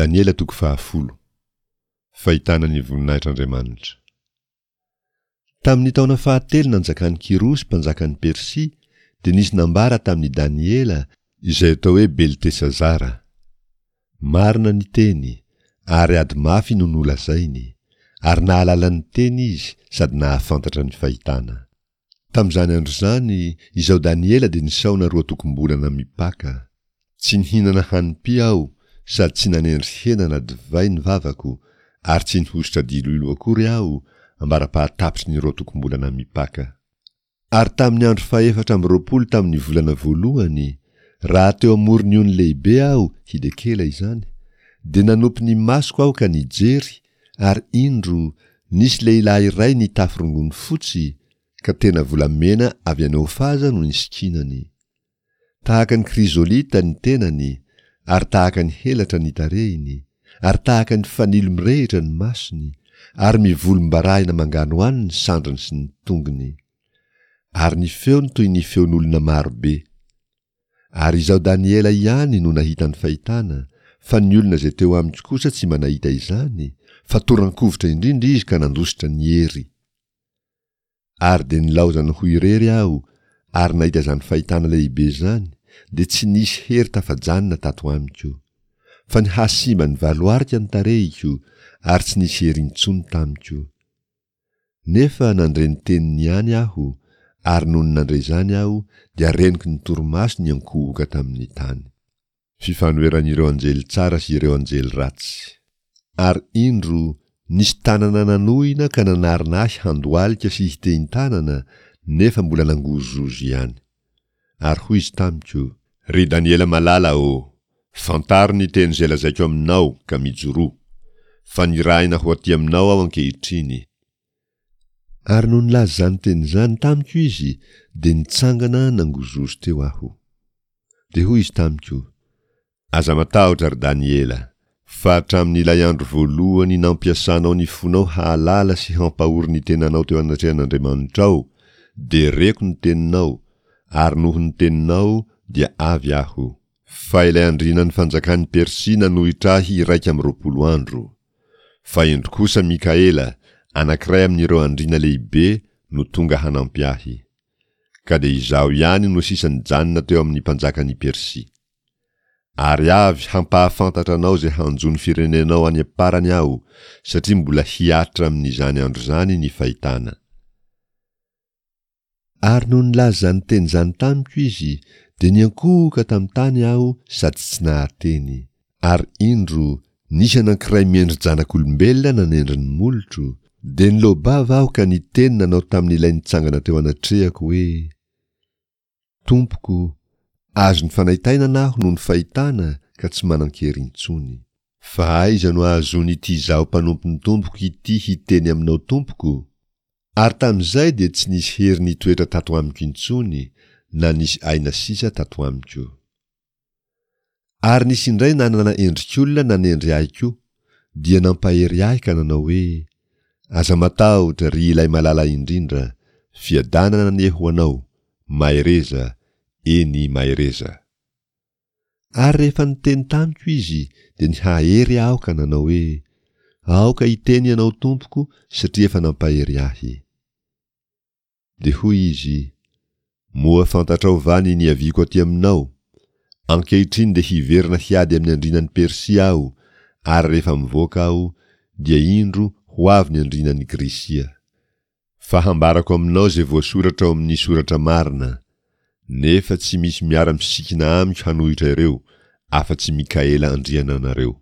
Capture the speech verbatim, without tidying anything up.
Daniela toko fahafolo. Fahitana ny voninahitr'Andriamanitra. Tamin'ny taona fahatelo nanjakan'i Kyrosy mpanjakan'i Persia, dia nisy nambara tamin'i Daniela, izay atao hoe Beltesazara. Marina ny teny, ary ady mafy no nolazainy, ary nahalala ny teny izy sady nahafantatra ny fahitana. Tamin'izany andro izany, izaho Daniela dia nisaona roa tokom-bolana mipaka. Tsy nihinana hanim-py aho sady tsy nanendry hena na divay ny vavako, ary tsy nihosotra diloilo akory aho, ambara-pahatapitry ny roa tokom-bolana mipaka. Ary tamin'ny andro fahefatra amby roapolo tamin'ny volana voalohany, raha teo amoron'ny ony lehibe aho, Hidekela izany, dia nanopy ny masoko aho ka nijery, ary indro, nisy lehilahy iray nitafy rongony fotsy, ka tena volamena avy any Ofaza no nisikinany. Tahaka ny krizolita ny tenany, ary tahaka ny helatra ny tarehiny, ary tahaka ny fanilo mirehitra ny masony, ary mivolombarahina manganohano ny sandriny sy ny tongony. Ary ny feony toy ny feon'olona maro be. Ary izaho Daniela ihany no nahita ny fahitana, fa ny olona izay teo amiko kosa tsy mba nahita izany, fa toran-kovitra indrindra izy ka nandositra ny hery. Ary dia nilaozany ho irery aho, ary nahita izany fahitana lehibe izany, dia tsy nisy hery tafajanona tato amiko. Fa nihasimba nivaloarika ny tarehiko, ary tsy nisy hery intsony tamiko. Nefa nandre ny teniny ihany aho, ary nony nandre izany aho, dia reniko ny torimaso niankohoka tamin'ny tany. Fifanoheran'ireo anjely tsara sy ireo anjely ratsy. Ary indro, nisy tanana nanohina ka nanarona ahy handohalika sy hitehin-tanana, nefa mbola nangozohozo ihany. Ary hoy izy tamiko, Ry Daniela malala ô, fantaro ny teny izay lazaiko aminao ka mijoroa, fa nirahina ho aty aminao aho ankehitriny. Ary nony nilaza izany teny izany tamiko izy, dia nitsangana nangozohozo teo aho. Dia hoy izy tamiko, Aza matahotra, ry Daniela, fa hatramin'ilay andro voalohany nampiasanao ny fonao hahalala sy hampahory ny tenanao teo anatrehan'Andriamanitrao, dia reko ny teninao, ary noho ny teninao dia avy aho. Fa ilay andrianan'ny fanjakan'i Persia nanohitra ahy iraika amby roapolo andro. Fa indro kosa Mikaela, anankiray amin'ireo andriana lehibe, no tonga hanampy ahy. Ka dia izaho ihany no sisa nijanona teo amin'ny mpanjakan'i Persia. Ary avy hampahafantatra anao izay hanjo ny firenenao any am-parany aho, satria mbola hihatra amin'izany andro izany ny fahitana. Ary nony nilaza izany teny izany tamiko izy, dia niankohoka tamin'ny tany aho sady tsy nahateny. Ary indro, nisy anankiray miendri-janak'olombelona nanendry ny molotro, dia niloa-bava aho ka niteny nanao tamin'ilay nitsangana teo anatrehako hoe, Tompoko, azon'ny fanaintainana aho noho ny fahitana ka tsy manan-kery intsony. Fa aiza no ahazoan'ity izaho mpanompon'ny tompoko ity hiteny aminao tompoko? Ary tamin'izay dia tsy nisy hery nitoetra tato amiko intsony, na nisy aina sisa tato amiko. Ary nisy indray nanana endrik'olona nanendry ahy koa, dia nampahery ahy ka nanao hoe, Aza matahotra, ry ilay malala indrindra, fiadanana anie ho anao, mahereza, eny, mahereza. Ary rehefa niteny tamiko izy, dia nihahery aho ka nanao hoe, Aoka hiteny ianao tompoko, satria efa nampahery ahy. Dia hoy izy, Moa fantatrao va ny niaviako aty aminao? Ankehitriny dia hiverina hiady amin'ny andrianan'i Persia aho, ary rehefa mivoaka aho, dia indro ho avy ny andrianan'i Grisia. Fa hambarako aminao izay voasoratra ao amin'ny soratra marina, nefa tsy misy miara-misikina amiko hanohitra ireo, afa-tsy Mikaela andriananareo.